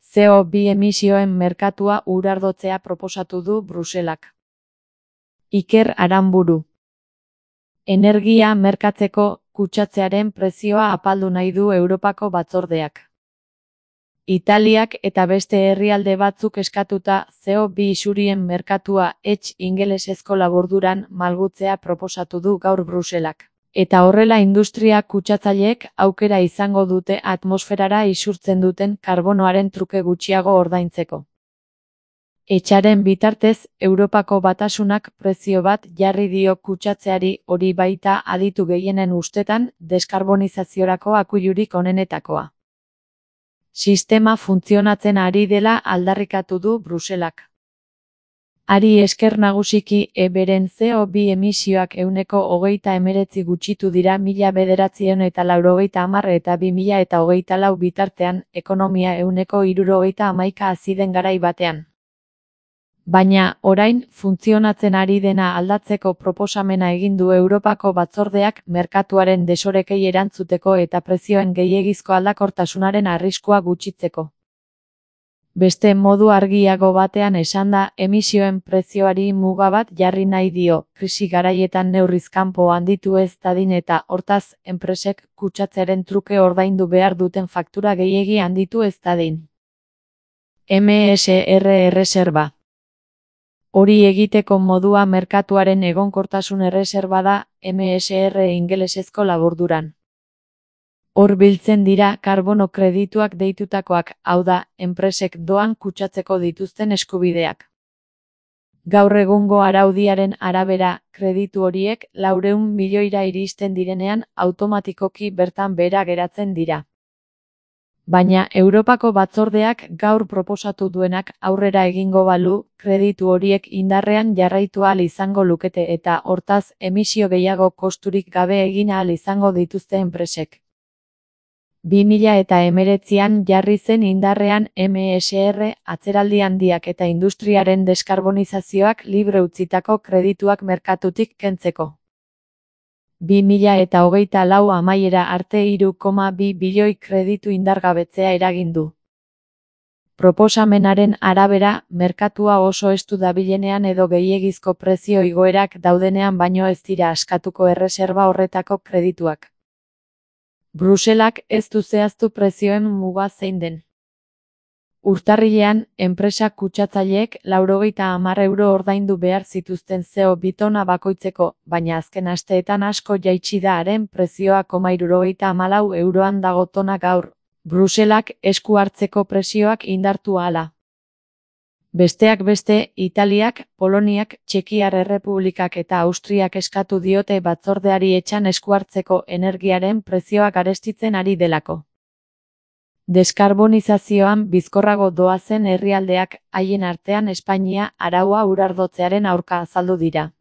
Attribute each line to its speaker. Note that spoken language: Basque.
Speaker 1: CO2 emisioen merkatua urardotzea proposatu du Bruselak. Iker Aranburu. Energia merkatzeko kutsatzearen prezioa apaldu nahi du Europako batzordeak. Italiak eta beste herrialde batzuk eskatuta CO2 isurien merkatua ingelesezko laburduran malgutzea proposatu du gaur Bruselak. Eta horrela industria kutsatzaileek aukera izango dute atmosferara isurtzen duten karbonoaren truke gutxiago ordaintzeko. Etxaren bitartez, Europako Batasunak prezio bat jarri dio kutsatzeari, hori baita aditu gehienen ustetan deskarbonizaziorako akuilurik onenetakoa. Sistema funtzionatzen ari dela aldarrikatu du Bruselak. Hari esker nagusiki beren CO2 emisioak 29% gutxitu dira 1990 eta 2024 bitartean, ekonomia 71% hazi den garai batean. Baina, orain, funtzionatzen ari dena aldatzeko proposamena egin du Europako batzordeak merkatuaren desorekei erantzuteko eta prezioen gehiegizko aldakortasunaren arriskua gutxitzeko. Beste modu argiago batean esanda, emisioen prezioari muga bat jarri nahi dio, krisi garaietan neurriz kanpo handitu ez dadin eta, hortaz, enpresek kutsatzearen truke ordaindu behar duten faktura gehiegi handitu ez dadin. MSR erreserba. Hori egiteko modua merkatuaren egonkortasun erreserba da, MSR ingelesezko laburduran. Hor biltzen dira karbono kredituak deitutakoak, hau da, enpresek doan kutsatzeko dituzten eskubideak. Gaur egungo araudiaren arabera, kreditu horiek 400 milioira iristen direnean automatikoki bertan behera geratzen dira. Baina Europako batzordeak gaur proposatu duenak aurrera egingo balu, kreditu horiek indarrean jarraitu ahal izango lukete eta, hortaz, emisio gehiago kosturik gabe egin ahal izango dituzte enpresek. 2019an jarri zen indarrean MSR, atzeraldi handiak eta industriaren deskarbonizazioak libre utzitako kredituak merkatutik kentzeko. 2024 amaiera arte 3,2 bilioi kreditu indargabetzea eragin du. Proposamenaren arabera, merkatua oso estu dabilenean edo gehiegizko prezio igoerak daudenean baino ez dira askatuko erreserba horretako kredituak. Bruselak ez du zehaztu prezioen muga zein den. Urtarrilean, enpresa kutsatzaileek €90 ordaindu behar zituzten CO2 tona bakoitzeko, baina azken asteetan asko jaitsi da haren prezioa €74 dago tona gaur, Bruselak esku hartzeko presioak indartu ahala. Besteak beste, Italiak, Poloniak, Txekiar Errepublikak eta Austriak eskatu diote batzordeari etxan esku hartzeko energiaren prezioak garestitzen ari delako. Deskarbonizazioan bizkorrago doazen herrialdeak, haien artean Espainia, araua urardotzearen aurka azaldu dira.